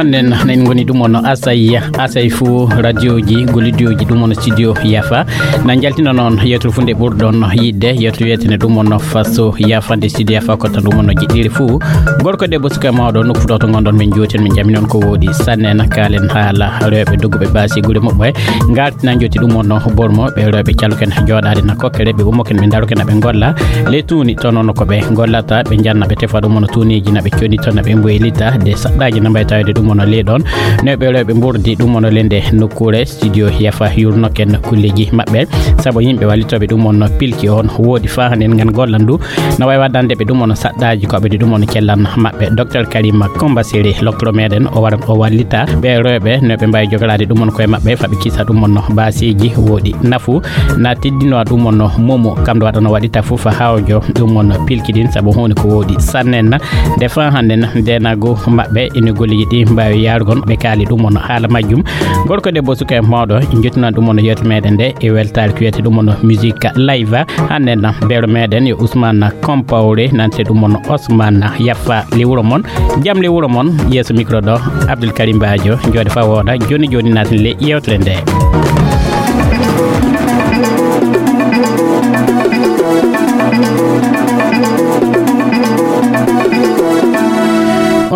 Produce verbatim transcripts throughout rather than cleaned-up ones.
Nden en ngoni ɗum on asay asay fuu radioji gollidiyoji ɗum on studio yafa na jaltina noon yewtere funde ɓurɗon yidde yewtere wiyetene ɗum on faso yafande studio yafa kotta ɗum on jiɗɗiri fuu gorko debbo suka mawɗo nokku ɗo to gonɗon min jooten min jami noon ko woɗi sanne na kaalen haala rewɓe dogguɓe basi gure muɓɓe ngartina jotti ɗum on bormo ɓe rewɓe caloken jooɗaade na kokkere ɓe ummoken ɓe daroken aɓe golla ley tuuni to noon ko ɓe gollata ɓe janna ɓe tefa ɗum on tuuniji na ɓe codito na ɓe mboylita de saɗɗaji na mbaytawede ɗum on ley ɗon ne ɓe rewɓe mbordi ɗum on lende nokkure studio yafa yurnoken kulleji maɓɓe sabu yimɓe wallitoɓe ɗum on pilki on woodi fa hande ngan gollan du na wawi waddande ɓe ɗum on saɗɗaji ko ɓe ɗum on cellan maɓɓe docteur karima comba seri loktoro meɗen o waran o wallita ɓe rewɓe no ɓe mbawi jogorade ɗum on koye maɓɓe faɓe kisa ɗum on basiji woɗi nafu na teddinowa ɗum on momo kam ɗo waɗano waɗita fof hawjo ɗum on pilki ɗin saabu honi ko woɗi sannen nde fa hannden ndenago maɓɓe ene golleji ɗi mbawi yarugol ɓe kaali ɗum on haala majjum gorko debbo suka e mawɗo jettunan ɗum on yewte meɗen nde e weltare ko wiyete ɗum on musique live hannden beero meɗen yo ousmane compawre nante ɗum on osmane yaffa le wuro mon jam le wuro mon yeeso micro ɗo abdoul karim badio jooɗe fa wooɗa joni joni naten le yewtere nde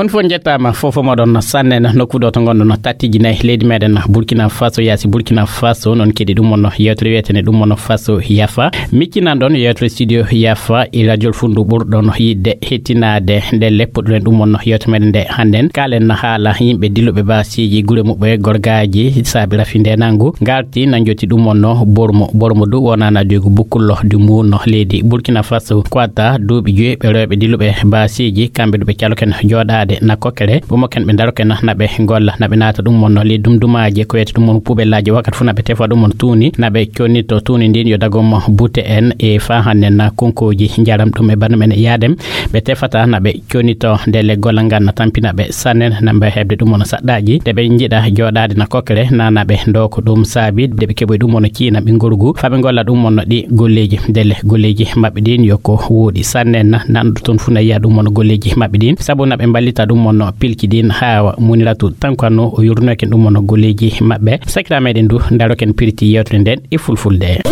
on fof jettama fofo moɗon sannen nokkuɗo to gonɗon tattiji nayyi leydi meɗen burkina faso yaasi burkina faso noon keɗi ɗum on yewtere wiyetene ɗum on faso yafa miccinan ɗon yewtere studio yafa e radio fundu ɓurɗon yidde hettinade nde leppuɗuɗen ɗum on yewtere meɗen nde hannden kalen haala yimɓe dilluɓe basiji gure muɓɓe gorgaji saabi rafi ndenangu garti na jotti ɗum on bormo bormo du wonana digu bukkullo du mbuno leydi burkina faso ko adda duuɓi joyi ɓe rewɓe dilluɓe basiji kamɓe ɗuɓe caloken jooɗaade na kokkere ɓumoken ɓe daroken naɓe golla naɓe naata ɗum on leydi dumdumaji ko wiyete ɗum on puɓellaji wakkati fof naɓe tefa ɗum on tuuni naɓe connito tuuni ndin yo dagom butte en e fa hannden na konkoji jaram ɗum e banndum en e yaadem ɓe tefata naɓe connito nde leggol ngal na tampina ɓe sannen na mbawi heɓde ɗum on saɗɗaji nde ɓe jiɗa jooɗaade na kokkere na naɓe ndo ko ɗum saabi nde ɓe keɓoy ɗum on ciina ɓe gorgu faɓe golla ɗum on ɗi golleji ndele golleji maɓɓe ɗin yo ko woɗi sannen na nanɗo toon fuu na yiya ɗum on golleji maɓɓe ɗin saabu naɓe mballita ɗum on pilki ɗin hawa muniratu tankano o yurnoken ɗum on golleji maɓɓe sakira meɗen du daroken pirti yewtere nden e fulfulde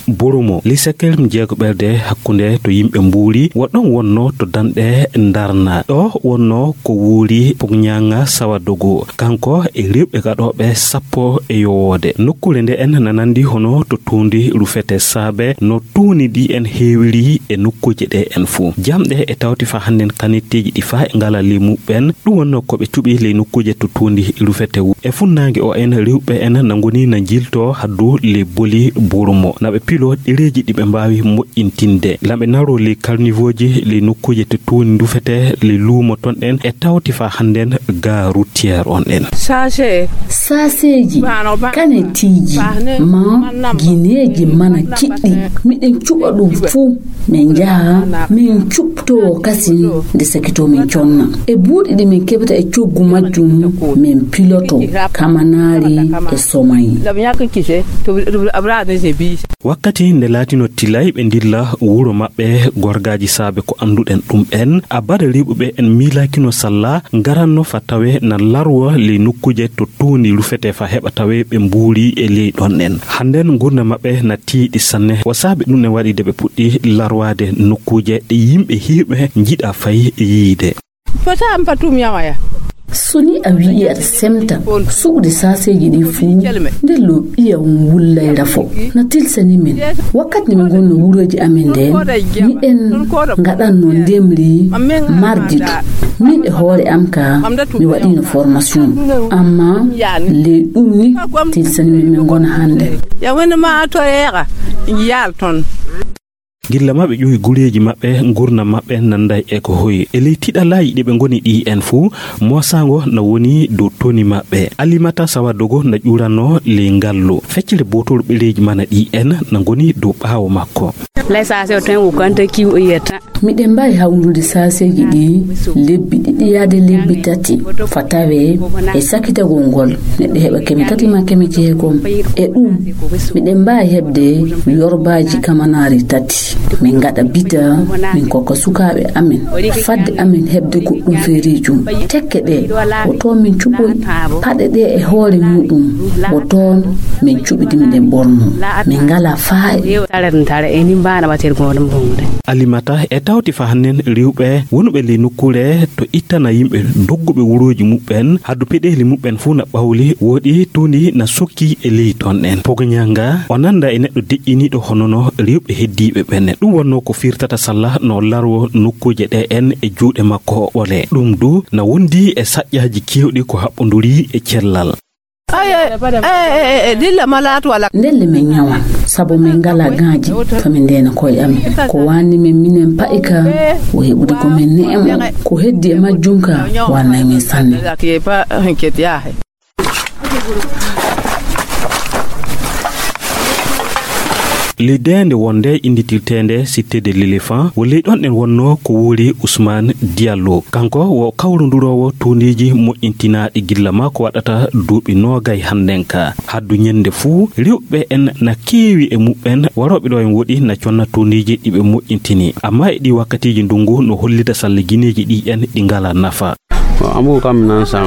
Burumo lisekel jeego ɓerde hakkunde to yimɓe mbuuri woɗɗon wonno to danɗe ndarna ɗo wonno ko wuuri pogñaŋa sawadogo kanko e rewɓe gaɗoɓe sappo e yowoode nokkure nde en nanandi hono to tuundi rufete saabe no tuuni ɗi en heewiri e nokkuuje ɗe en fuu jamɗe e tawti fa hannden kanitteeji ɗi fa e ngala ley muɓɓen ɗum wonno ko ɓe cuɓi ley nokkuuje to tuundi rufete e funnaange o en rewɓe en na ngoni na njilto haddu ley boli burmo na ɓe pilo ɗereeji ɗi ɓe mbaawi moƴƴintinde na ɓe naro ley karnivooji ley nokkuuje to tuundi rufete ley luumo ton en e tawti fa hannden ga routière on en saaseeji kanetiiji ma gineeji mana kiɗɗi miɗen cuɓa ɗum fuu min njaha min cuɓtowo kasin nde sakito min conna e buuɗi ɗi min keɓata e coggu majjum min piloto kamanaari e somayi wakkati nde laatino tilay ɓe ndilla wuro maɓɓe gorgaaji saabe ko annduɗen ɗum en abada riɓuɓe en miilaakino salla ngaranno fa tawe na larwo ley nokkuuje to tuundi rufete fa heɓa tawe ɓe mbuuri e ley ɗon en hannden ngurnda maɓɓe na tiiɗi sanne ko saabi ɗum ne waɗi de ɓe puɗɗi larwaade nokkuuje ɗe yimɓe hiiɓe njiɗa fay yiide fota am patum yawaya so ni a wi'i aɗa semta suɓde saaseeji ɗi fuu nde lo ɓiya on wullay rafo na tilsani min wakkati nde min ngonno wuroji amen nden miɗen ngaɗanno ndemri mardi to min e hoore am ka mi waɗino formation amma ley ɗum ni tilsani min min ngona hannde ya woni ma to yeeqa yaal toon gilla maɓɓe ƴuwi gureeji maɓɓe ngurnam maɓɓe nanday e ko hoyi e ley tiɗalaaji ɗi ɓe ngoni ɗi en fuu moosaango na woni dow toni maɓɓe alimata sawadogo na ƴuranno ley ngallu feccere bootol ɓereeji mana ɗi en na ngoni dow ɓaawo makko lay sase o ten o kanta kiw o yiyata Miɗen mbaawi hawrude saaseeji ɗi lebbi ɗiɗi yaade lebbi tati, fa tawee e sakitagol ngol neɗɗo heɓa keme tati maa keme jeegom. E ɗum, miɗen mbaawi heɓde yorbaaji kamanaari tati. Min ngaɗa bita, min kokka sukaaɓe amen, fadde amen heɓde goɗɗum feereejum. Tekke ɗe, ko toon min cuɓoyi. Paɗe ɗe e hoore muɗum, ko toon min cuɓidi, miɗen ɓorno. Min ngalaa faayi. Alimata e tawti fa hannen riwɓe wonuɓe ley nokkuure to ittana yimɓe dogguɓe wurooji muɓɓen, haddu peɗeeli muɓɓen fuu na ɓawli, woɗi tuundi na sokki e ley toon ɗen. Pogoñanga o nannda e neɗɗo deƴƴiniiɗo hono no riwɓe heddiiɓe ɓen. Ɗum wonnoo ko firtata salla no larwo nokkuuje ɗe en e juuɗe makko ɓole. Ɗum du na wondi e saƴƴaaji keewɗi ko haɓɓonduri e cellal. Ndelle min ñawan, sabu min ngalaa gaaji, fa min ndeena koye amin. Ko waanni min minen pa'i ka, o heɓude ko min ne'emo. Ko heddi e majjum ka, waannay min sanne. Ley deende wonde innditirteende Cité de l'Éléphant, wo ley ɗon ɗen wonnoo ko wuuri Ousmane Diallo. Kanko wo kawrunduroowo tuundiiji moƴƴintinaaɗi gilla maa ko waɗata duuɓi noogay hannden ka. Haddu ñannde fuu, riwɓe en na keewi e muɓɓen, warooɓe ɗo en woɗi na conna tuundiiji ɗi ɓe moƴƴintini. Ammaa e ɗii wakkatiiji ndunngu no hollita salla gineeji ɗi en ɗi ngalaa nafa.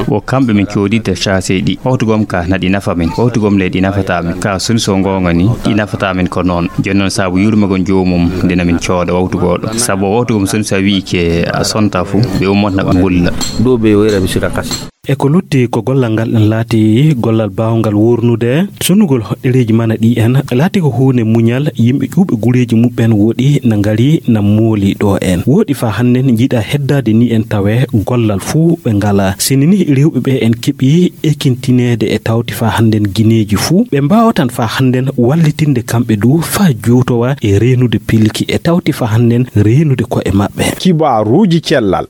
Wo kamɓe min cooditta caasey ɗi. Wawtu gom ka na ɗi nafa min. Wawtu gom le ɗi nafata min. Ka soni so goonga ni, ɗi nafata min ko noon. Jooni noon sabu yurmagol joomum nde na min cooda wawtu gooɗo. Sabu wawtu gom soni so a wi'i ke a sonta fu, ɓe ummata na ɓe ngulla. Ɗo ɓe woyra mi sika kasi. E ko lutti ko gollal ngal en laati gollal baawngal wuurnude, sonnugol hoɗɗereeji mana ɗi en laati ko huunde muñal. Yimɓe ƴuuɓe gureeji muɓɓen woɗi na ngari na mooli ɗo en. Woɗi faa hannden njiɗa heddaade ni en tawe gollal fuu ɓe ngalaa. Sini ni rewɓe ɓe en keɓi ekintineede e tawti faa hannden gineeji fuu. Ɓe mbaawatan faa hannden wallitinde kamɓe du faa juutowa e reenude pilki e tawti faa hannden reenude ko'e maɓɓe. Kibaaruuji cellal.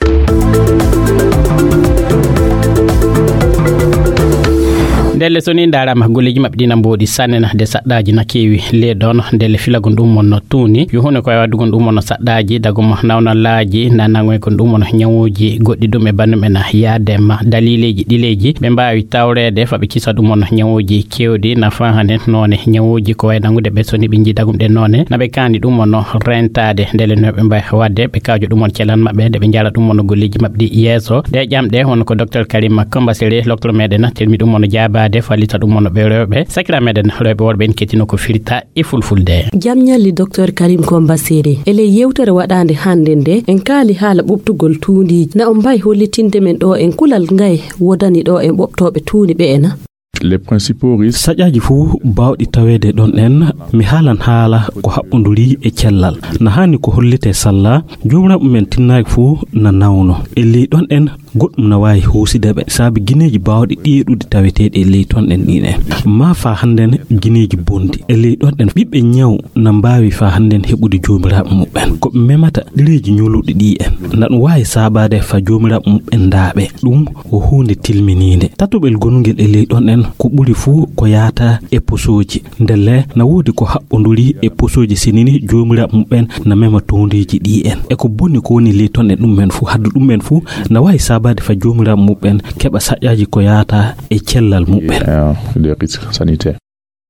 Ndelle so ni ndaaraama golleeji maɓɓe ɗi na mbooɗi sanne na de saɗɗaaji na keewi le ɗoon. Ndelle filagol ɗum mon no tuuni. Yo huunde ko e waɗugol ɗum mon no saɗɗaaji dagol mo nawnalaaji na nangoygol ɗum mon ñawuuji goɗɗi ɗum e banndum en yaade ma daliileeji ɗileeji ɓe mbaawi tawreede fa ɓe kisa ɗum mon ñawuuji keewɗi na faa hannde noone ñawuuji ko wayi nangude ɓe so ni ɓe njii dagum ɗe noone na ɓe kaani ɗum mon no rentaade ndelle no ɓe mbaawi waɗde ɓe kaajo ɗum mon celan maɓɓe nde ɓe njala ɗum mon no golleeji maɓɓe ɗi yeeso. Ɗe ƴamɗe won ko Docteur Karim Kombasere, docteur meɗen, telmi ɗum on jaabaade, fallita ɗum on ɓe rewɓe. Sakira meɗen, rewɓe worɓe en kettino ko firta e fulfulde. Jam ñalli, Docteur Karim Kombasere. E ley yewtere waɗaande hannde nde, en kaali haala ɓuɓtugol tuundiiji. Na on mbaawi hollitinde men ɗo en kulal ngaye wodani ɗo en ɓuɓtooɓe tuundi ɓe ena? Les principaux risques. Saƴaaji fuu baawɗi taweede ɗon en, mi haalan haala ko haɓɓonduri e cellal. Na haani ko hollitee salla, joomiraaɓe men tinnaaki fuu na nawno. E ley ɗon en, goɗɗum na waawi huuside ɓe. Saabi gineeji baawɗi ɗeeɗude taweteeɗi e ley ton en ɗin en. Maa faa hannden gineeji bonɗi. E ley ɗon en, ɓiɓɓe ñaw na mbaawi faa hannden heɓude joomiraaɓe muɓɓen. Ko ɓe memata ɗereeji ñoluɗi ɗi en. Na ɗum waawi saabaade faa joomiraaɓe muɓɓen ndaaɓe. Ɗum ko huunde tilminiinde. Tatoɓel gonungel e ley ɗon en, ko ɓuri fuu ko yaata e posooji. Ndelle na woodi ko haɓɓonduri e posooji sinini joomiraaɓe muɓɓen na mema toondiiji ɗi en. E ko boni ko woni ley ton e ɗum en fuu, haddu ɗum en fuu na waawi saabaade faa joomiraaɓe muɓɓen keɓa saƴaaji ko yaata e cellal muɓɓen. Et, euh, des risques sanitaires.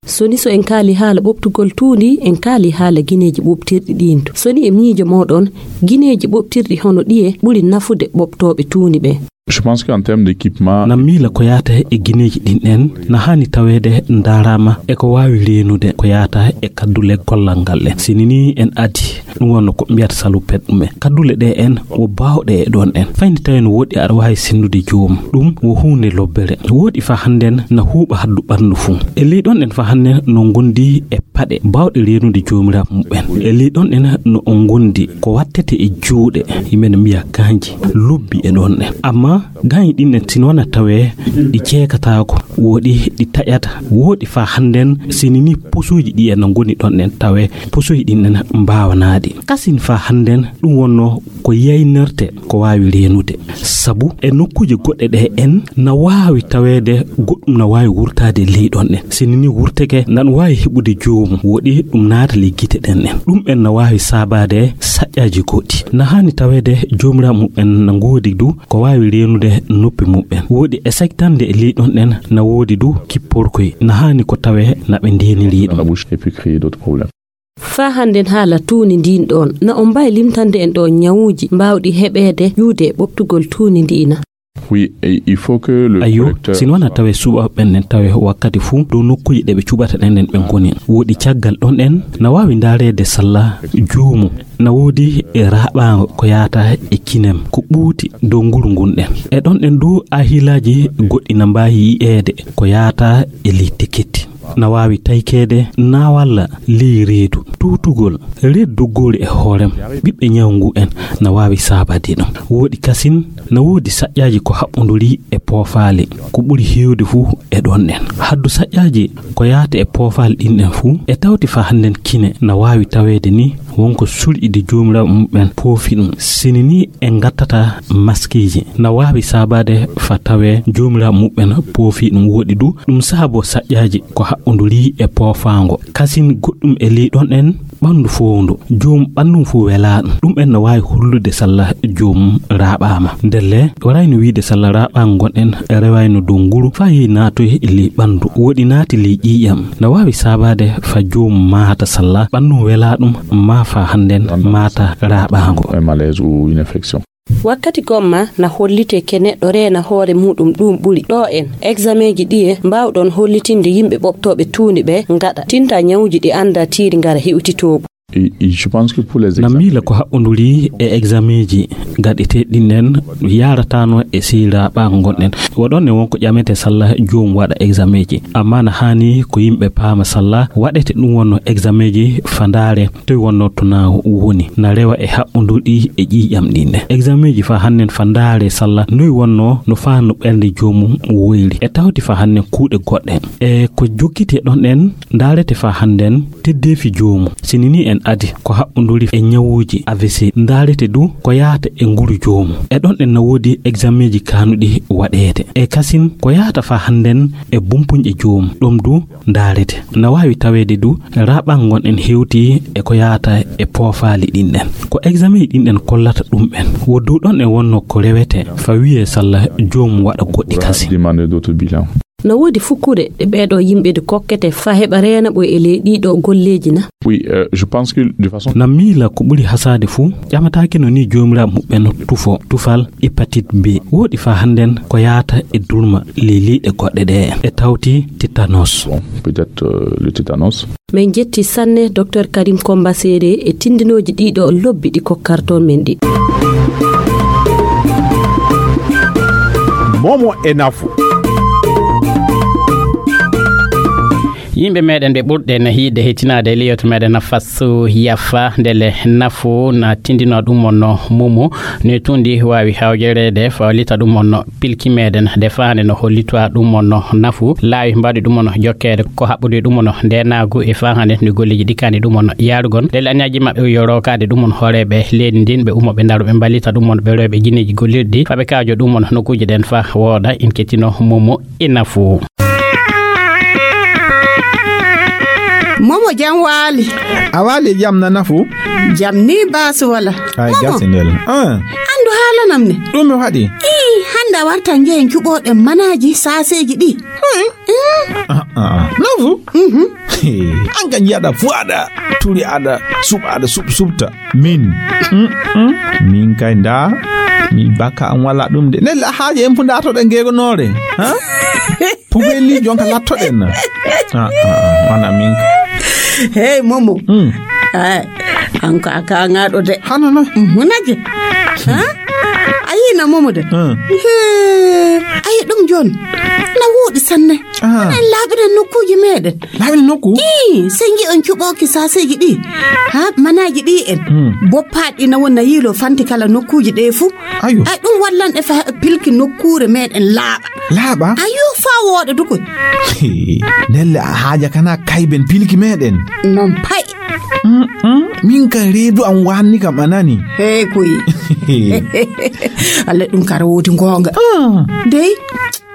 So ni so en kaali haala ɓuɓtugol tuundi, en kaali haala gineeji ɓuɓtirɗi ɗiin. So ni e miijo mooɗon, gineeji ɓuɓtirɗi hono ɗiye ɓuri nafude ɓuɓtooɓe tuundi ɓe? Je pense qu'en termes d'équipement. Na miila ko yaata e gineeji ɗin en, na haani taweede ndaaraama e ko waawi reenude ko yaata e kaddule gollal ngal en. Sini ni en adi, ɗum wonno ko mbiyata salupet ɗum en. Kaddule ɗe en wo baawɗe e ɗon en. Fayni tawi no woɗɗi aɗa waawi senndude joomum. Ɗum wo huunde lobbere. Woɗi faa hannden na huuɓa haddu ɓanndu fuu. E ley ɗon en faa hannden no ngondi e paɗe baawɗe reenude joomiraaɓe muɓɓen. E ley ɗon en no o ngondi ko wattete e juuɗe, yimɓe no mbiya kanji, lobbi e ɗon en. Amma Gañi ɗin en, sino wona tawee ɗi ceekataako, woɗi ɗi taƴata, woɗi faa hannden, sini ni posuuji ɗi en no ngoni ɗon ɗen tawee posuuji ɗin en mbaawanaaɗi. Kasin faa hannden ɗum wonno ko yaynerte ko waawi reenude. Sabu e nokkuuje goɗɗe ɗe en na waawi taweede goɗɗum na waawi wurtaade e ley ɗon ɗen. Sini ni wurteke nan waawi heɓude joomum, woɗi ɗum naata ley gite ɗen ɗen. Ɗum en na waawi saabaade saƴƴaaji goɗɗi. Na haani taweede joomiraaɓe mum en na ngoodi du ko waawi reenude noppi mum en. Woɗi e saktande e ley ɗon ɗen na woodi du kipporkoy. Na haani ko tawee na ɓe ndeeniri ɗum. Dans la bouche et puis créer d'autres problèmes. Faa hannden haala tuuni ndin ɗon, na on mbaawi limtande en ɗoo ñawuuji mbaawɗi heɓeede ƴuwde e ɓoɓtugol tuuni ndii na? Oui, et il faut que le Ayyo, correcteur sino wona soit tawee suɓaaɓe ɓen ɗen tawee wakkati fuu dow nokkuuje ɗe ɓe cuɓata ɗen ɗen ɓe ngoni. Woɗi caggal ɗon ɗen na waawi ndaareede salla joomum. Na woodi e raaɓaango ko yaata e kinem, ko ɓuuti dow nguru ngun ɗen. E ɗon ɗen du ahilaaji goɗɗi na mbaawi yi'eede ko yaata e ley teketti. Na waawi taykeede na walla ley reedu, tuutugol, reedu doggoori e hoorem. Ɓiɓɓe ñawu ngu en na waawi saabade ɗum. Woɗi kasin, na woodi saƴƴaaji ko haɓɓonduri e poofaali, ko ɓuri heewde fuu e ɗon ɗen. Haddu saƴƴaaji ko yaata e poofaali ɗin ɗen fuu, e tawti faa hannden kine na waawi taweede ni wonko surƴi ɗi joomiraaɓe mum ɓen poofi ɗum. Sini ni en ngattata maskiiji, na waawi saabaade faa tawee joomiraaɓe mum ɓen poofi ɗum. Woɗi du, ɗum saaboo saƴƴaaji ko haɓɓonduri e poofaango. Kasin goɗɗum e ley ɗon ɗen, ɓanndu fowndu. Joom ɓanndu fuu welaa ɗum. Ɗum en no waawi hollude salla joomum raaɓaama. Ndelle, warayno wiide salla raaɓaango ngon en rewayno dow nguru faa yehi naatoy ley ɓanndu. Woɗi naati ley ƴiiƴam. Na waawi saabaade faa joomum maata salla ɓanndu welaa ɗum, maa faa hannden maata raaɓaango. Un malaise ou une infection. Wakkati gomma na hollitee ke neɗɗo reena hoore muuɗum ɗuum ɓuri. Ɗoo en, egzameeji ɗiye mbaawɗon hollitinde yimɓe ɓoɓtooɓe tuundi ɓe ngaɗa tinta ñawuuji ɗi anndaa tiiri ngara hewtitooɓu? Et, et je pense que pour les Na examens miila ko haɓɓonduri e egzameeji gaɗeteeɗi ɗin ɗen yaarataano e sey raaɓaango ngon ɗen. Waɗon ne wonko ƴamete salla joom waɗa egzameeji. Amma na haani ko yimɓe paama salla waɗete ɗum wonno egzameeji faa ndaare toy wonno to na woni. Na rewa e haɓɓondurɗi e ƴiiƴam ɗin ɗen. Egzameeji faa hannden faa ndaare salla noy wonno no faa no ɓernde joomum woyri. E tawti faa hannden kuuɗe goɗɗe. E ko jokkiti e ɗon ɗen ndaarete faa hannden teddeefi joomum. Sini ni en adi ko haɓɓonduri e ñawuuji A V C. Ndaarete du ko yaata e nguru joomum. E ɗon ɗen na woodi egzameeji kaanuɗi waɗeede. E kasin ko yaata faa hannden e bumpuñƴe joomum. Ɗum du ndaarete. Na waawi taweede du raaɓaango ngon en hewti e ko yaata e poofaali ɗin ɗen. Ko egzameeji ɗin ɗen kollata ɗum en. Wo dow ɗon en wonno ko rewete faa wiyee salla joomum waɗa goɗɗi kasin. Demander d'autres bilans. Na woodi fukkure ɗe ɓeeɗo yimɓe de kokkete faa heɓa reena ɓoy e ley ɗiiɗo golleeji na? Oui, euh, je pense que de façon Na miila ko ɓuri hasaade fuu, ƴamataake no ni joomiraaɓe muɓɓen tufo, tufal hépatite B. Woɗi faa hannden ko yaata e durma ley leyɗe goɗɗe ɗe e tawti tétanos. Bon, peut-être, euh, le tétanos. Min njetti sanne Docteur Karim Komba Seere e tindinooji ɗiiɗo lobbi ɗi kokkarton men ɗi. Momo e nafu. Yimɓe meɗen ɓe ɓurɗen yiɗde hettinaade e liyoto meɗen Faso Yafa ndele nafu na tindino ɗum on no mumu ne tundi waawi hawjereede fawlita ɗum on no pilki meɗen de faande no hollitwa ɗum on no nafu laawi mbaɗi ɗum on no jokkeede ko haɓɓude ɗum on no ndenaagu e faande no golleeji ɗikkani ɗum on no yaarugol ndele añaaji maɓɓe yo rookaade ɗum on hooreeɓe leydi ndin ɓe ummoɓe ndaroɓe mballita ɗum on ɓe rewɓe jineeji gollirɗi faɓe kaajo ɗum on nokkuuje ɗen fa wooda in kettino mumu e nafu. Momo jam waali. A waali e jam na nafu? Jam ni baasu wala. Ay gasi ndel. Ah. Andu haalanam ne. Ɗum mi waɗi. Ii, hannde a warta njehen cuɓooɗen manaaji saaseeji ɗi. Hmm. Ah, ah, ah. Nafu? Mhm. An ka njiyaɗa fu aɗa turi aɗa suɓa aɗa suɓ suɓta. Min. Mm, mm. Min kay nda. Mi baka an wala ɗum de. Nella haaje en fu nda to ɗen gegonoore. Ha? Pubeli jonka lattoɗen na. Ah, ah, ah, wana min. Hey, Momo. Mm. Ay. An ko a kaŋaaɗo de. Hano no? Hunake. Ha? A yii na momo de. Hmm. Hee, a yii ɗum jooni. Na wooɗi sanne. Ah. En laaɓiren nokkuuji meeɗen. Laaɓiren nokku? Ii, sey ngi on cuɓooki saaseeji ɗi. Ha, manaaji ɗi en. Hmm. Boppaaɗi na wona yiilo fanti kala nokkuuji ɗe fuu. Ayo. Ay, ɗum wallan e fa pilki nokkuure meeɗen laaɓa. Laaɓa? Ayo, faa wooɗa dukoy. Hee, ndelle a haaja kana kayben pilki meeɗen. Non pay. Mm, mm. Min kan reedu am waanni kam a nani. Hey, koy. Alla ɗum kara woodi goonga. Ah. Dey,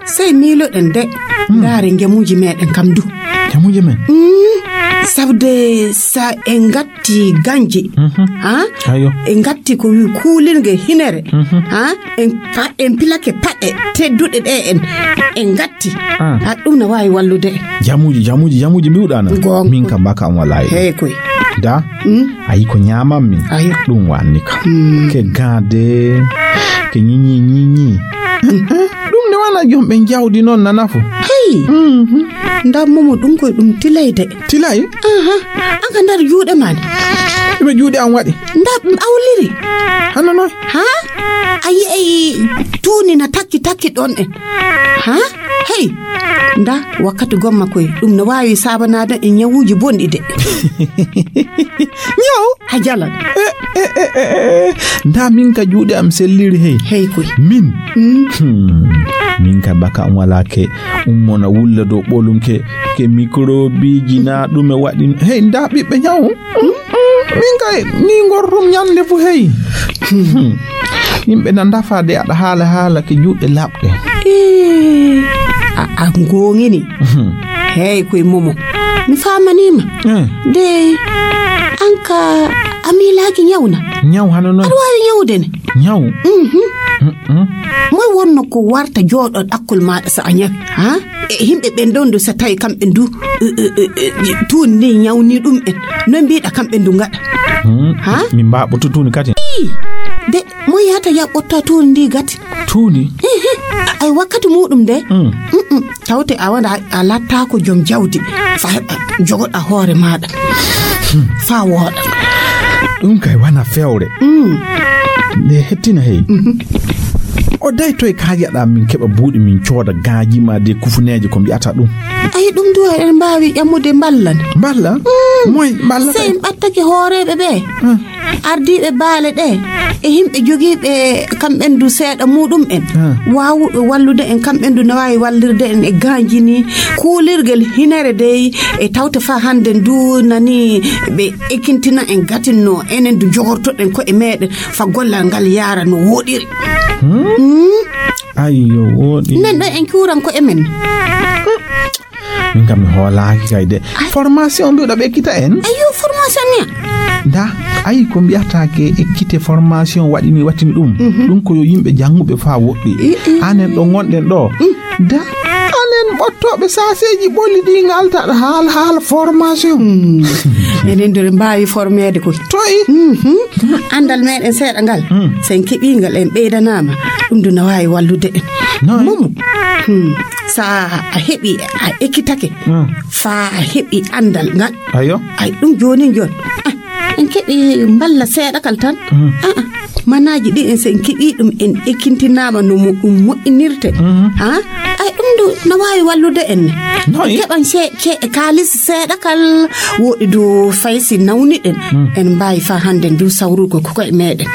sey miiloɗen de. Mm. Ndaare njamuuji meeɗen kam du. Njamuuji men? Mm. Sabde sa en ngatti ganji. Mhm. Ha? Ayo. En ngatti ko wi kuulirge hinere. Mhm. Ha? En pa-, en pilake paɗe tedduɗe ɗe en, en ngatti. Ah. Ha, ɗum na waawi wallude. Jamuuji, jamuuji, jamuuji mbiwɗa na. Goonga. Min kam baka am walaa e ɗum. Hey koy. Da? Mm. Ayi ko ñaamammi. Ayo. Ɗum waanni kam. Mm. Ke gaade, ke ñiñi, ñiñi. Mm. Ɗum ne wana joom ɓe jawdi noon na nafu. Hey. Mhm. Nda momo ɗum koy ɗum tilay de. Tilay? Aha. An ka nder juuɗe ma ne. Ɗume juuɗe am waɗi? Nda awliri. Hano noon? Ha? A yi'ay tuuni na takki takki ɗon en. Ha? Hey. Nda wakkati gomma koy ɗum no waawi saabanaade e ñawuuji bonɗi de. Ñaw? A jalan. Eh, eh, eh, eh, eh. Nda min ka juuɗe am selliri hey. Hey koy. Min? Mm. Hmm. Min ka baka am walaa ke. Ummo na wulla dow ɓolum ke, ke mikrobiiji na ɗume waɗi. Hey, nda ɓiɓɓe ñaw. Mm, mm, min kay, ni ngorrum ñande fu hey. Hmm. Yimɓe na ndafa de aɗa haala haala ke juuɗe laɓɗe. Eh, a, a ngongini. Hmm. Hey, koy momo. Mi famanima. Eh. De, an ka, a miilaaki ñaw na? Ñaw hano noon? Aɗa waawi ñawde ne? Ñaw? Mhm. Mm-mm. Moy wonno ko warta jooɗo ɗakkol maaɗa so a ñawi? Ha? E yimɓe ɓen ɗon du so tawi kamɓe du, e, e, e, e, tuuni ni ñawni ɗum en. No mbiɗa kamɓe du ngaɗa? Hmm. Ha? Min mbaɓɓoto tuuni kadi. Ii, de, mo yahata yaɓɓotta tuuni ndi gati? Tuuni? Ehe. Ay wakkati muɗum de. Hmm. Mm-mm. Tawte a wona a lattaako joom jawdi. Fa heɓa jogoɗa hoore maaɗa. Hmm. Fa wooɗa. Ɗum kay wana fewre. Mm. Nde hettina hey. Mhm. O day toy kaajaɗa min keɓa buuɗi min cooda gaaji ma de kufuneeje ko mbi'ata ɗum. Ay, ɗum du eɗen mbaawi ƴammude mballa ne. Mballa? Mm. Moy mballa sey kay? En ɓattake hooreeɓe ɓe. Hmm. Ardiiɓe baale ɗe e yimɓe jogiiɓe kamɓen du seeɗa muɗum en. Hmm. Waawuɓe wallude en kamɓen du na waawi wallirde en e gaanjini kuulirgel hinere dey e tawte faa hannde du nani ɓe ekintina en gatinno enen du jogortoɗen ko'e meeɗen fa gollal ngal yaara no wooɗiri. Hmm? Hmm? Ayyo, wooɗi. Nen ɗo en kuuran ko'e men. Min kam mi hoolaaki kay de. Ay. Formation mbiɗa ɓe ekkita en? Ayyo, formation ni. Da, ayi ko mbiyata ke ekkite formation waɗini wattini ɗum. Mhm. Ɗum ko yo yimɓe jannguɓe faa woɗɗi. I, i. Anen ɗo ngonɗen ɗo. Mm. Da, anen ɓottooɓe saaseeji ɓolli ɗi ngaltaɗo haala, haala formation. Mm. Enen dore mbaawi formeede koy. Toy? Mhm. Anndal meɗen seeɗa ngal. Mm. Sen keɓii ngal en ɓeydanaama. Ɗum du na waawi wallude en. Noy? Momo. Hmm. Sa a heɓi, a ekkitake, hmm, faa a heɓi anndal ngal. Ayo. Ay, ɗum joonin jooni. Ah, en keɓi mballa seeɗa kal tan. Hmm. Ah, ah. Manaaji ɗi en, so en keɓi ɗum, en ekkintinaama no mo-, ɗum moƴƴinirte. Hmm. Ah, ay, ɗum du no waawi wallude en. Noy? En keɓan ce-, ce-, kaalis seeɗa kal, woɗi du fay si nawniɗen. Hmm. En mbaawi faa hannde ndu sawrugo ko koye meɗen.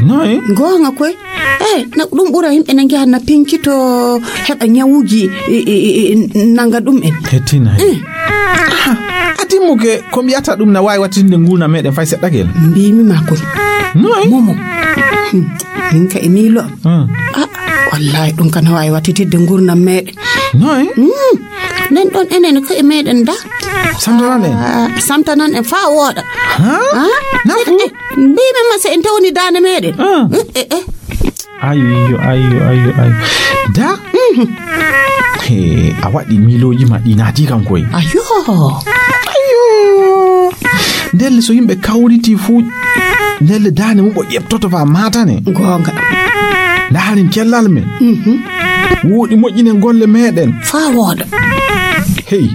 Noy? Goonga koy. Eh, na ɗum ɓura yimɓe na njaha na pinkito heɓa ñawuuji, e, e, e, e, nanga ɗum en. Hettina. Eh. Ah, a timmuke ko mbiyata ɗum na waawi wattinde nguurndam meɗen fay seɗɗa kel? Mbiimi ma kon. Noy? Momo. Hmm. Min ka e miilo am. Hmm. Ah, wallahi ɗum ka na waawi wattitidde nguurndam meɗen. Noy? Hmm. Nen ɗon enen ko e meɗen da. Samtanan en. Ah, samtanan en faa wooɗa. Ha? Ah? Nafu? Eh, eh. Mbiimi ma so en tawni daande meɗen. Ah. Eh, eh, eh. Ayyo, ayyo, ayyo, ayyo. Da? Mhm. He, a waɗi miilooji ma ɗi naati kam koy. Ayyo. Ayyo. Ndelle so yimɓe kawriti fuu, ndelle daande mum o ƴeɓtoto faa maatane. Goonga. Ndaaren cellal men. Mhm. Wooɗi moƴƴinen golle meɗen. Faa wooɗa. Hey.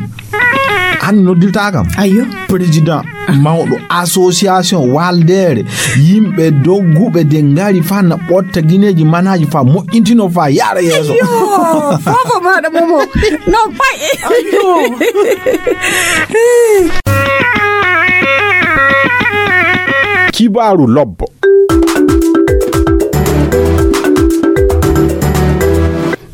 An noddirta kam? Ayo. Président mawɗo association Waldeere, yimɓe dogguɓe de ngari fa na ɓotta gineeji manaaji fa moƴƴintino fa yaara yeeso. Yo, fofo maɗa momo. No pay. Ayo. Kibaaru lobbo.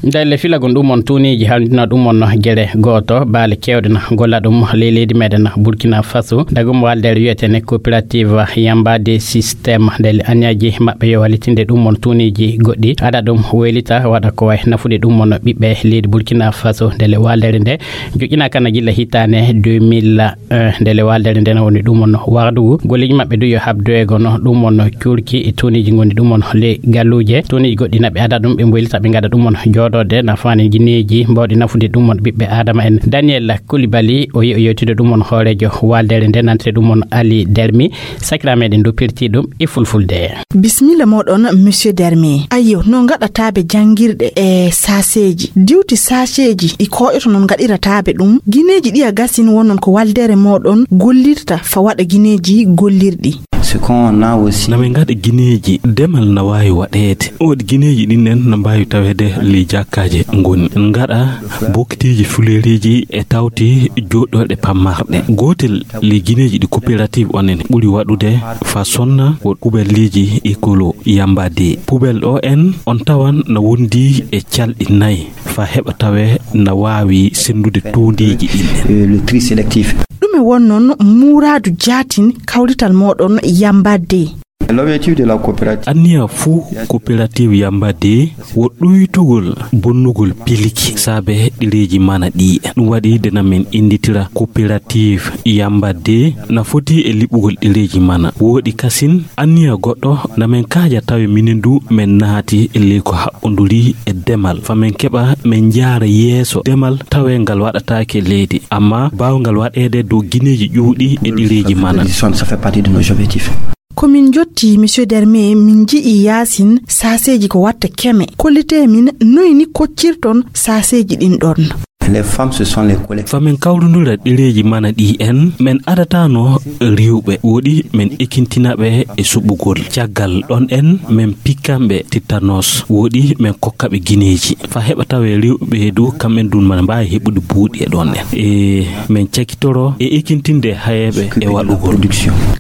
Ndelle filagol ɗum on tuuniiji halndina ɗum on gere gooto, baale keewɗe na golla ɗum ley leydi meɗen Burkina Faso. Dagum waldere wiyetene coopérative Yamba de système. Ndelle aniyaaji maɓɓe yo wallitinde ɗum on tuuniiji goɗɗi. Ada ɗum weylita waɗa ko way nafude ɗum on ɓiɓɓe leydi Burkina Faso. Ndelle waldere nde joƴƴina kana gilla hitaane deux mille un. Ndelle waldere nde na woni ɗum on wardugu. Golleeji maɓɓe du yo habdoye gono ɗum on cuurki e tuuniiji ngoni ɗum on ley galluuje. Tuuniiji goɗɗi na ɓe ada ɗum, ɓe mboylita, ɓe ngada ɗum on jooɗoode na faani gineeji mbawɗi nafude ɗum on ɓiɓɓe Adama en. Daniel Koulibaly, o yi-, o yewtide ɗum on hooreejo waldere nde, nantire ɗum on Ali Dermi. Sakira meɗen du pirti ɗum e fulfulde. Bismilla moɗon, Monsieur Dermi. Ayyo, no ngaɗataaɓe janngirɗe e saaseeji? Diwti saaseeji ɗi koƴoto non ngaɗirataaɓe ɗum. Gineeji ɗi a gasin wonnon ko waldere moɗon gollirta fa waɗa gineeji gollirɗi. Ce qu'on a aussi. Na min ngaɗa gineeji, demal na waawi waɗeede. Waɗi gineeji ɗin en na mbaawi taweede ley jakkaaje ngoni. Ngaɗa bokitiiji fuleeriiji e tawti jooɗorɗe pammarɗe. Gootel ley gineeji ɗi coopérative on en ɓuri waɗude fa sonna wo pubelleeji écolo Yamba de. Pubel ɗo en on tawan na wondi e calɗi nayi fa heɓa tawe na waawi senndude tuundiiji ɗin en. Euh, le tri sélectif. Ɗume won noon muuraadu jaatin kawrital mooɗon Yamba de? L'objectif de la coopérative. Anniya fuu coopérative Yamba de wo ɗuytugol bonnugol pilki saabe ɗereeji mana ɗi. Ɗum waɗi de na min innditira coopérative Yamba de na foti e liɓugol ɗereeji mana. Wooɗi kasin anniya goɗɗo na min kaaja tawe minen du min naati e ley ko haɓɓonduri e demal. Fa min keɓa min njaara yeeso demal tawe ngal waɗataake leydi. Amma baawngal waɗeede dow gineeji ƴuuɗi e ɗereeji mana. Ça fait partie de nos objectifs. Ko min njotti, Monsieur Derme, min nji'i yaasin saaseeji ko watta keme. Kollitee min noy ni koccirton saaseeji ɗin ɗon? Les femmes, ce sont les collègues. Fa min kawrundura ɗereeji mana ɗi en, min adatano rewɓe. Wooɗi min ekintinaɓe e suɓugol. Caggal ɗon en, min pikkanɓe tétanos. Wooɗi min kokkaɓe gineeji. Fa heɓa tawe rewɓe du, kamɓen dun mana mbaawi heɓude buuɗi e ɗon en. E min cakitoro e ekintinde hayeeɓe e waɗugol.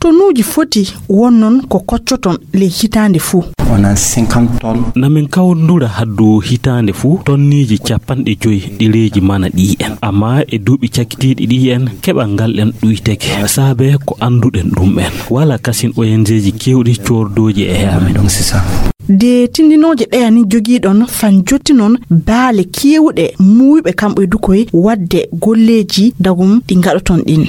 Tonuuji foti wonnon ko koccoton ley hitaande fuu. On a cinquante tonnes. Na min kawrundura haddu hitaande fuu tonniiji capanɗe joyi ɗereeji mana ɗi en. Amma e duuɓi cakitiiɗi ɗi en, keɓal ngal en ɗuyteke. Saabe ko annduɗen ɗum en. Wala kasin O N G ji keewɗi coordooji e amen. Donc c'est ça. De tindinooje ɗeya ni jogiiɗon fan jottinon baale keewɗe muuyɓe kamɓe du koye waɗde golleeji dagum ɗi ngaɗoton ɗin.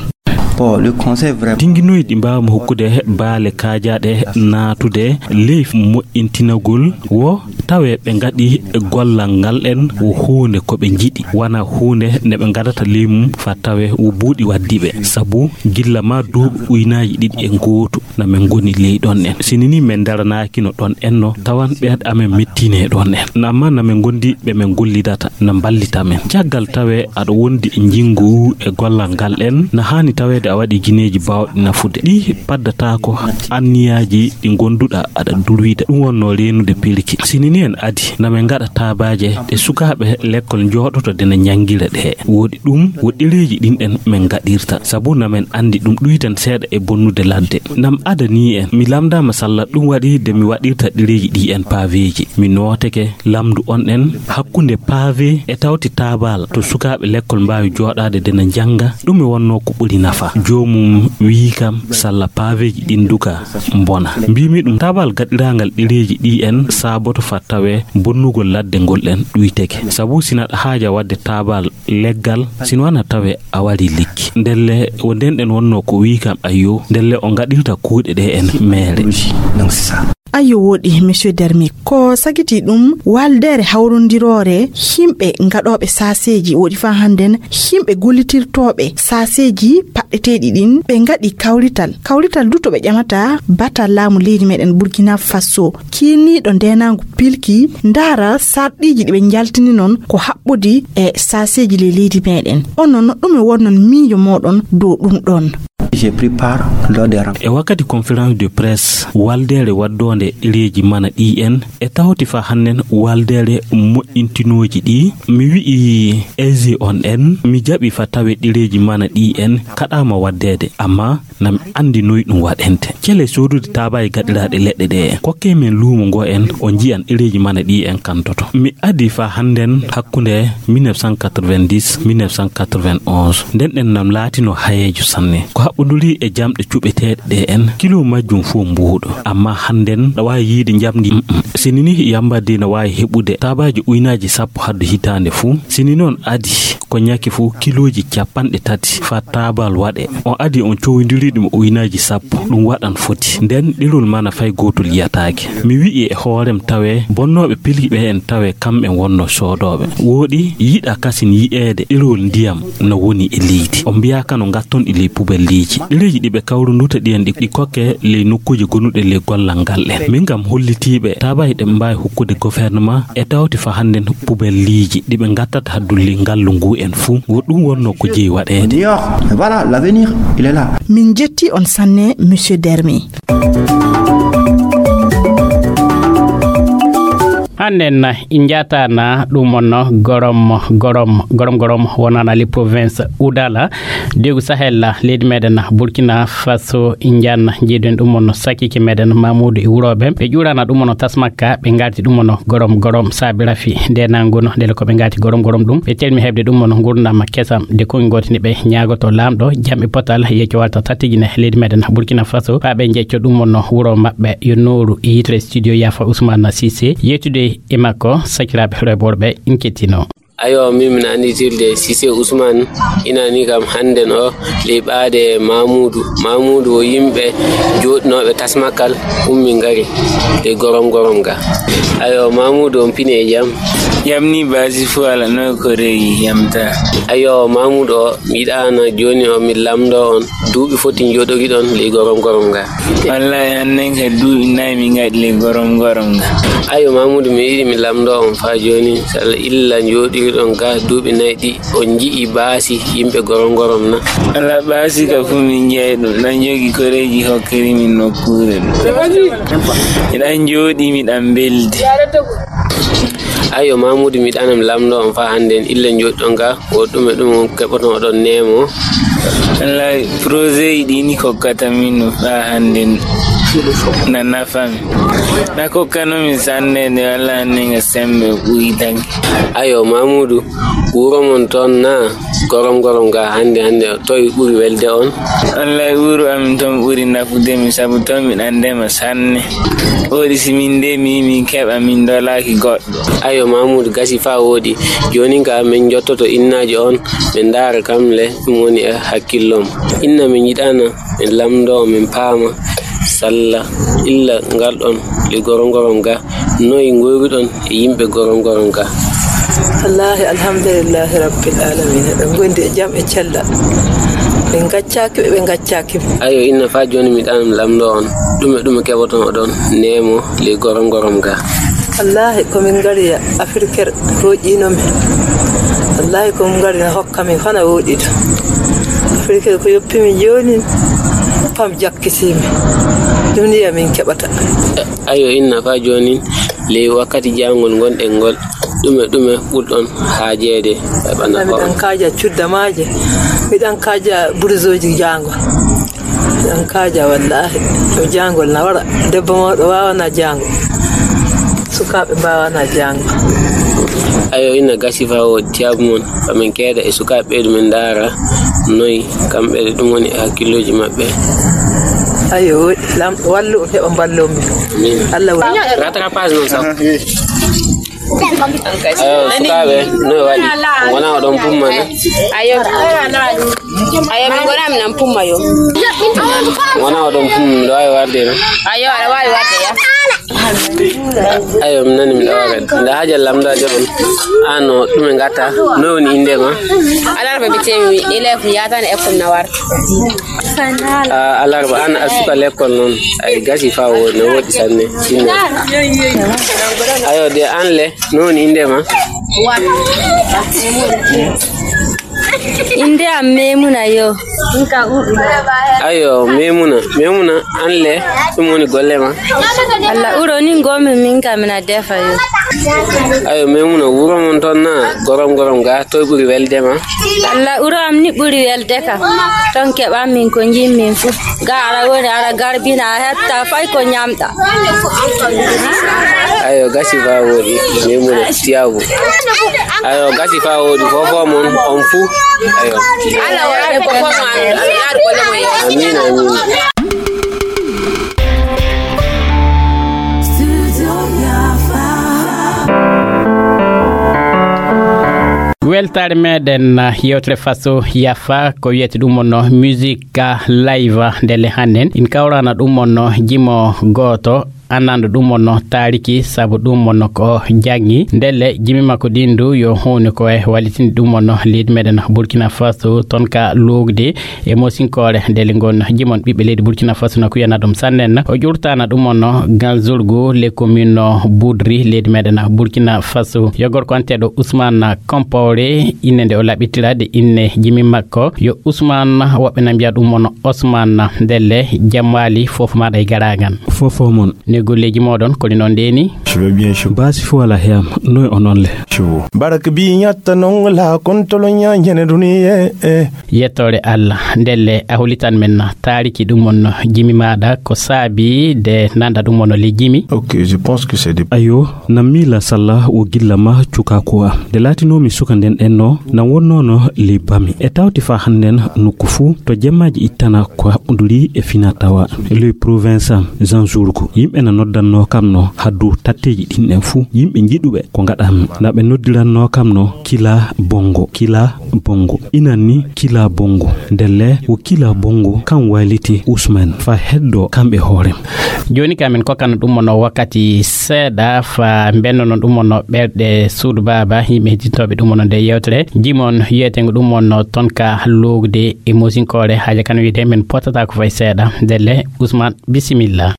Bon, le conseil vraiment. Tinnginoy ɗi mbaawmi hokkude baale kaajaaɗe naatude ley moƴƴintinagol wo tawe ɓe ngaɗi gollal ngal en wo huunde ko ɓe njiɗi, wona huunde nde ɓe ngadata ley mum fa tawe wo buuɗi waddi ɓe. Sabu gilla ma duuɓi uynaaji ɗiɗi e ngootu na min ngoni ley ɗon en. Sini ni min ndaranaakino ɗon en no tawan ɓeeɗe amen mettiine ɗon en. Amma na min ngondi ɓe min gollidata na mballita min. Caggal tawe aɗa wondi e njinngu e gollal ngal en, na haani taweede a waɗi gineeji baawɗi nafude. Ɗi paddataako anniyaaji ɗi ngonduɗa aɗa durwida. Ɗum wonno reenude pelki. Sini ni en adi, na min ngaɗa taabaaje ɗe sukaaɓe lekkol njooɗoto de na njanngira ɗe. Wooɗi ɗum, wo ɗereeji ɗin en min ngaɗirta. Sabu na min anndi ɗum ɗuytan seeɗa e bonnude ladde. Nam adanii en, mi lamndaama salla ɗum waɗi de mi waɗirta ɗereeji ɗi en paaveeji. Mi nooteke lamndu on en hakkunde paave e tawti taabal to sukaaɓe lekkol mbaawi jooɗaade de na njannga. Ɗum e wonnoo ko ɓuri nafa. Joomum wiyi kam salla paaveeji ɗin duka mbona. Mbiimi ɗum taabal gaɗiraangal ɗereeji ɗi en saaboto fa tawe bonnugol ladde ngol en ɗuyteke. Sabu sina aɗa haaja waɗde taabal leggal, sino wana tawe a waɗi lekki. Ndelle wo nden ɗen wonnoo ko wiyi kam ayyo, ndelle o ngaɗirta kuuɗe ɗe en meere. Donc c'est ça. Ayo, woɗi, Monsieur Dermi. Ko sagiti ɗum, waldeere hawrondiroore yimɓe gaɗooɓe saaseeji, woɗi faa hannden yimɓe gollitirtooɓe saaseeji paɗɗeteeɗi ɗin, ɓe ngaɗi kawrital. Kawrital du to ɓe ƴamata batal laamu leydi meɗen Burkina Faso, kiiniiɗo ndeenaangu pilki, ndaara sarɗiiji ɗi ɓe njaltini noon ko haɓɓodi e saaseeji ley leydi meɗen. Onon, ɗume wonnon miijo mooɗon dow ɗum ɗon? J'ai pris part lors des rencontres. E wakkati conférence de presse, waldeere waddoonde ɗereeji mana ɗi en, e tawti fa hannden waldeere moƴƴintinooji ɗi, mi wi'i aisé on en, mi jaɓi fa tawe ɗereeji mana ɗi en kaɗaama waddeede, amma na mi anndi noy ɗum waɗente. Cele soodude taabaaji gaɗiraaɗi leɗɗe ɗe en. Kokkee men luumo ngo en, o njiyan ɗereeji mana ɗi en kantoto. Mi adi fa hannden hakkunde mille neuf cent quatre-vingt-dix, mille neuf cent quatre-vingt-onze. Nden ɗen nam laatino hayeejo sanne. Ko haɓɓoduri e jamɗe cuɓeteeɗe ɗe en, kilo majjum fof mbuuɗo. Amma hannden ɗa waawi yiide njamndi, mm, mm. Sini ni yambadde na waawi heɓude taabaaji uynaaji sappo haddu hitaande fuu. Sini noon adi ko ñaki fuu kilooji capanɗe tati fa taabal waɗe. On adi on cowindiri ɗum uynaaji sappo, ɗum waɗan foti. Nden ɗerol mana fay gootol yiyataake. Mi wi'i e hoorem tawe bonnooɓe pilki ɓe en tawe kamɓe wonno soodooɓe. Wooɗi yiɗa kasin yi'eede ɗerol ndiyam no woni e leydi. On mbiyaa kano ngatton e ley pubelliiji. Ɗereeji ɗi ɓe kawrunduta ɗiyen ɗi, ɗi kokke ley nokkuuje gonuɗe ley gollal ngal ɗen. Min kam hollitiiɓe taabaaji ɗe ɓe mbaawi hokkude gouvernement e tawti fa hannden pubelliiji ɗi ɓe ngattata haddu ley ngallu ngu en fuu. Wo ɗum wonno ko jeyi waɗeede. Dehors, voilà, l'avenir, il est là. Min jetti on sanne, Monsieur Dermi. Hannden na i njaatana ɗum on gorom, gorom, gorom, gorom wonana li province Oudala, degu Sahel, leydi meɗen Burkina Faso, i njaatna jeedun ɗum on sakkiike meɗen Mamoudou e wurooɓe. Ɓe ƴuurana ɗum on tasmakka, ɓe ngarti ɗum on gorom, gorom saabi rafi nde nanguno, ndele ko ɓe ngarti gorom, gorom ɗum. Ɓe telmi heɓde ɗum on ngurndaama kesam, de kongi gooti ni ɓe ñaagoto Laamɗo jam e potal, yecco walta tattijine leydi meɗen Burkina Faso, haa ɓe jecco ɗum on wuro maɓɓe yo nooru e yitere studio Yafa Ousmane Cissé. Yettude e makko, sakiraaɓe rewɓe worɓe, in kettino. Ayo, min min anndi tilde Cissé Ousmane, ina ni kam hannden o ley ɓaade Mamoudou. Mamoudou o yimɓe jooɗinooɓe tasmakal ummi ngari ley gorom gorom ga. Ayo, Mamoudou on pini e jam? Jam ni baasi fuu ala no ko rewi yamta. Ayo, Mamoudou o mi yiɗaana jooni o mi lamndoo on. Duuɓi foti njooɗoriɗon ley gorom gorom ga? Wallahi, hannden ka duuɓi nayi min ngaɗi ley gorom gorom ga. Ayo, Mamoudou, mi yiɗi mi lamndoo on faa jooni, salla illa njooɗoriɗon ga duuɓi nayi ɗi, on nji'i baasi yimɓe gorom gorom na? Walla baasi ka fuu min nji'ay ɗum, ɗan jogi koreeji hokkiri min nokkuure ɗum. Miɗan jooɗi, miɗan mbeldi. Ayo, Mamoudou, mi yiɗaana mi lamndoo on faa hannden illa njooɗiɗon ga, wo ɗume ɗum keɓoton oɗon neemo? Wallahi, projet ji ɗi ni kokkata min no faa hannden na nafa mi. Na kokkano mi sanne de, walla hannden nga sembe ɓuytanke. Ayo, Mamoudou, wuro mon toon na gorom gorom ga hannde hannde, toy ɓuri welde on? Wallahi, wuro amin toon ɓuri nafude mi, sabu toon miɗan ndema sanne. Wooɗi si min ndemi, min keɓa, min ndolaaki goɗɗo. Ayo, Mamoudou, gasi faa wooɗi. Joonin ka min njottoto innaajo on, min ndaara kam le ɗum woni e hakkillom. Inna min yiɗaana min lamndoo, min paama, salla illa ngarɗon le gorom gorom ga, noy ngoyruɗon e yimɓe gorom gorom ga? Wallaahi, alhamdulillahi rabbil aalamiina. Eɗen ngondi e jam e cellal. Ɓe ngaccaaki ɓe, ɓe ngaccaaki ɓe. Ayo, inna faa jooni mi ɗan lamndoo on. Ɗume, ɗume keɓoton oɗon neemo le gorom gorom ga? Wallaahi, ko min ngari ya Afriker roƴiino min. Wallaahi, ko min ngari na hokka min fana wooɗi to. Afriker ko yoppi min jooni, pam jakkisii min. Ɗum ni ya min keɓata. Ayo, inna faa jooni, ley wakkati jaangol ngonɗen ngol, ɗume, ɗume ɓurɗon haajeede e ɓanna miɗan kaaja cudda maaje, miɗan kaaja burzooji jaangol. Miɗan kaaja wallaahi. Ɗo jaangol na wara. Debbo mawɗo waawana jaangol. Sukaaɓe mbaawana jaangol. Ayo, ina gasi faa o tiyaabu mon, fa min keeda e sukaaɓe ɓeydu min ndaara noy kamɓe ɗum woni e hakkillooji maɓɓe. Ayo, woɗi. Lamɗo wallu on heɓa mballoo min. Amin. Allah wa- Rattrapage non sax. Ayo, sukaaɓe, no e waɗi? Wona oɗon pumma na? Ayo. Ayo, min ngona min an pumma yo. Wona oɗon pumma, miɗo waawi warde na? Ayo, aɗa waawi warde ya. Ayo, mi nani mi ɗawa kadi. Nda haaja lamndaajo on. Ano ɗume ngata? No woni innde ma? Alarba bitemi élève yatani école na warta. Ah, alarba an a suka l'école noon. Ay gasi fa woni, no woɗi sanne. Sinno. Ayo de an le, no woni innde ma? Innde am Memuna yo. Ayo, Memuna. Memuna, an le, ɗum woni golle ma? Allah uro ni ngomi min kam na defa yo. Ayo, Memuna, wuro mon toon na gorom gorom ga, toy ɓuri welde ma? Allah uro am ni ɓuri welde kam. Ton keɓan min ko jimmin fu. Ga ara woni ara garbina a hetta fay ko ñamɗa. Ayo, gasi fa woni. Memuna, tiyabu. Ayo, gasi fa woni. Fofo mon, on fu. Ayo. Ala woni ko fono an. Amin, amin. Weltaare meɗen, uh, yewtere faso yafa ko wiyete ɗum wonno musique live ndelle hannden in kawrana ɗum wonno jimo gooto annando ɗum wonno taariki sabu ɗum wonno ko janngi ndelle jimi makko ɗin du yo huuni ko e wallitinde ɗum wonno leydi meɗen Burkina Faso ton ka lugde e mosinkoore ndelle ngon jimon ɓiɓɓe leydi Burkina Faso na kuyana ɗum sannen o ƴurtana ɗum wonno ganzurgu le commune budri leydi meɗen Burkina Faso yo gorko anteɗo Ousmane Kompore inne nde o laɓɓitira de inne jimi makko yo Ousmane woɓɓe na mbiya ɗum wonno Ousmane ndelle jamwali fof maɗa e garagan fof o mon ne golleji moɗon koni noon ndeni je vais bien je basi fo ala heyam noy o noon le je vous baraka bi ñatta non la kontolo ñañene duniye eh. Yettore Allah ndelle a holitan men taariki ɗum wonno jimi maɗa ko saabi de nanda ɗum wonno le jimi ok je pense que c'est des ayo na miila salla o gilla ma cukaku a nde laatinoomi suka nden ɗenno na wonnoono ley bami e tawti faa hannden nokku fuu to jemmaaji ittana ko haɓɓunduri e fina tawa ley province am jean jourgo yimɓe na noddannoo kam no haddu tatteeji ɗin ɗen fuu yimɓe njiɗuɓe ko ngaɗanmi na ɓe noddirannoo kam no kila bongo kila bongo inan ni kila bongo ndelle wo kila bongo kam wayliti usman fa heddo kamɓe hoorem jooni ka min kokkana ɗum wonno wakkati seeɗa fa mbennono ɗum wonno ɓerɗe suudu baaba yimɓe hedditooɓe ɗum wonno nde yewtere jimon wiyetengo ɗum wonno ton ka lowde e mosinkoore haaja kan wiyde min pottata ko fay seeɗa ndelle usman bisimilla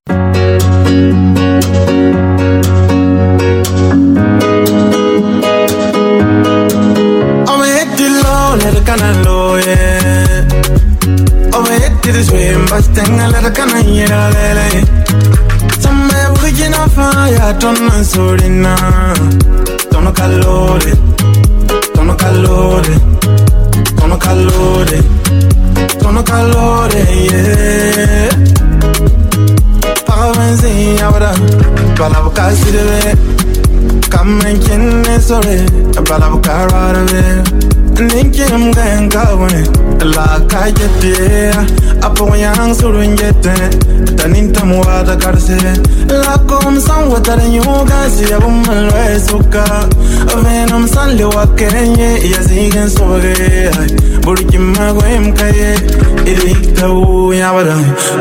Omo yetti low leta kana loye Omo yetti de swim bas tenga leta kana yira lele Samme burkina faya ton nan sorina Tono kalore Tono kalore Tono kalore Tono kalore yeah Paɣaba n ʒiya yabra balabu ka siribe ka mini kinni sori balabu ka rɔribe ninkim gayin ka wuni la ka jete a pɔgɔyaŋ suru n jete ta nintam waata karisi la kom san watari nyuga siya bu malwe suka venum san liwa kenye ya zigin soge burkim magoyim kaye ili tawu yabra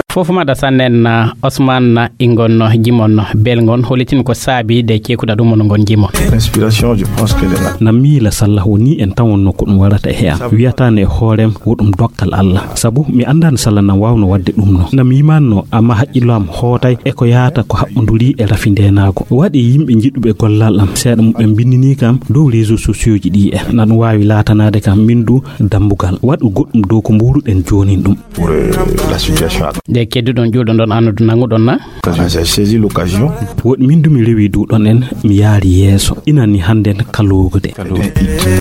Fof mada sannen Osman ingon jimon belgon holitin ko saabi de cekuɗa ɗum on ngon jimon. Inspiration, je pense que na miila sallah woni en tan wonno ko ɗum warata e am wiyata ne hoorem wo ɗum dokkal Allah sabu mi andan sallah na wawno wadde ɗum no na mi yimanno amma haqqillo am hootay e ko yaata ko haɓɓoduri e rafi ndenago waɗi yimɓe jiɗuɓe gollal am seeɗa muɓɓen bindini kam dow réseau sociaux ji ɗi en na ɗum wawi latanade kam min du dambugal waɗu goɗɗum dow ko mburuɗen jonin ɗum pour euh, la situation actuelle. Nde kedduɗon ƴuwɗon ɗon annude nanguɗon na? J'ai saisi l'occasion. Woɗ min dumi rewi duɗon en mi yaari yeeso inani hannden kalowude.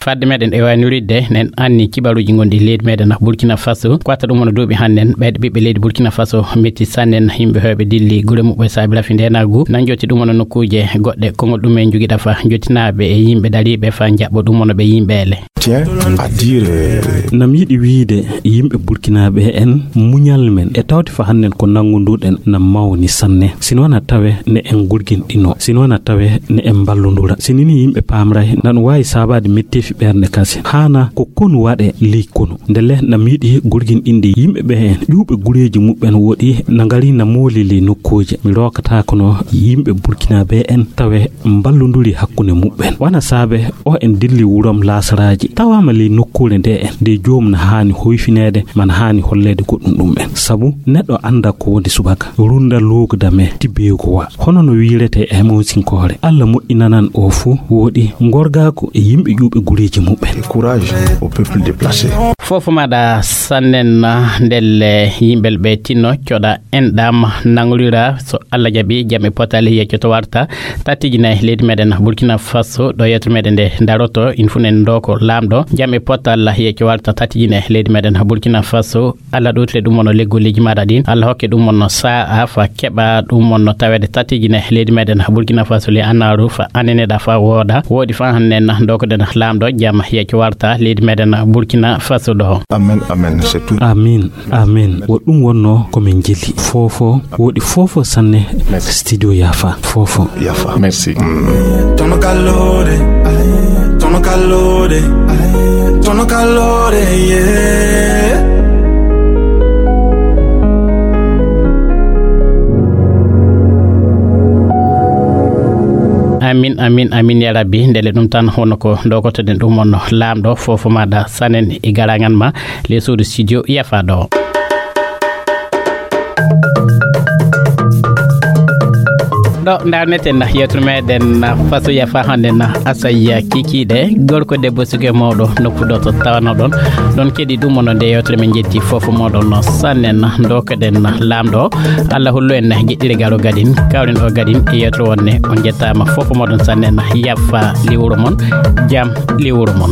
Fadde meɗen e waynoridde nen anni kibaruji gonɗi leydi meɗen burkina faso ko watta ɗum wona duuɓi hannden ɓeyɗo ɓiɓɓe leydi burkina faso metti sannen yimɓe hewɓe dilli gure muɓɓe saabi rafi ndenagu nan jotti ɗum wona nokkuji goɗɗe kongol ɗum en jogiɗa fa jottinaɓe e yimɓe dariɓe fa jaɓɓo ɗum wona ɓe yimɓele Tiens à dire, euh, Nam yiɗi wiyde yimɓe burkinaaɓe en muñal men e tawde fa hannden ko nanngunduɗen na mawni sanne. Sino na tawe ne en gurginɗino, sino na tawe ne en mballundura. Sinini yimɓe paamray nan waawi saabaade metteefi ɓernde kase. Haana ko konu waɗe ley konu. Ndelle nam yiɗi gurginɗinde yimɓe ɓe en ƴuuɓe gureeji muɓɓen woɗi na ngari na mooli ley nokkuuje. Mi rookataako no yimɓe burkinaaɓe en tawe mballunduri hakkunde muɓɓen. Wana saabe o en dilli wurom laasaraaji. Tawaama ley nokkuure nde en nde joom na haani hoyfineede man haani holleede goɗɗum ɗum en. Sabu neɗɗo annda ko woni subaka. Runda looguda me tibbeego wa. Hono no wiirete e Moosinkoore. Alla moƴƴinanan o fuu woɗi ngorgaaku e yimɓe ƴuuɓe gureeji muɓɓen. Courage au peuple déplacé. Fofo maɗa sannen ndelle yimɓel ɓe tinno coɗa en ɗam nangolira so Allah jaɓi jam e potal yeccoto warta tattijine leydi meɗen Burkina Faso ɗo yetto meɗen nde daroto in fuu en ndoko lamɗo jam e potal yecco warta tattijine leydi meɗen Burkina Faso. Allah ɗowtire ɗum wonno leggolleeji maɗa ɗin. Allah hokke ɗum wonno sa'a fa keɓa ɗum wonno tawede tattijine leydi meɗen Burkina Faso le annaru fa aneneɗa fa wooda woɗi fa hannen dokoɗen lamɗo jam yecco warta leydi meɗen Burkina Faso ɗo. Amen, amen, c'est tout. Amin, amin. Wo ɗum wonno ko min jeli. Fofo, woɗi fofo sanne. Merci. Studio Yafa, fofo. Yafa, merci. Mm. Tono kallore, tono kallore, tono kallore, yeah. Amin, amin, amin ya rabbi. Ndele ɗum tan hono ko dogotoɗen ɗum on lamɗo fofo maɗa sanen e garangan ma le suudu studio Yafa ɗo. Ɗo ndarneten yewtere meɗen fasoya fa hande na asaya kikiɗe gorko debbo suke mawɗo noppuɗo to tawano ɗon ɗon keɗi ɗum ono nde yewtere men jetti fofo moɗon sannen dokeɗen lamɗo. Allah hollu en jeɗɗire garo gadin kawren o gadin e yewtere wonne on jettama fofo moɗon sannen. Yaffa liwuro mon jam liwuro mon.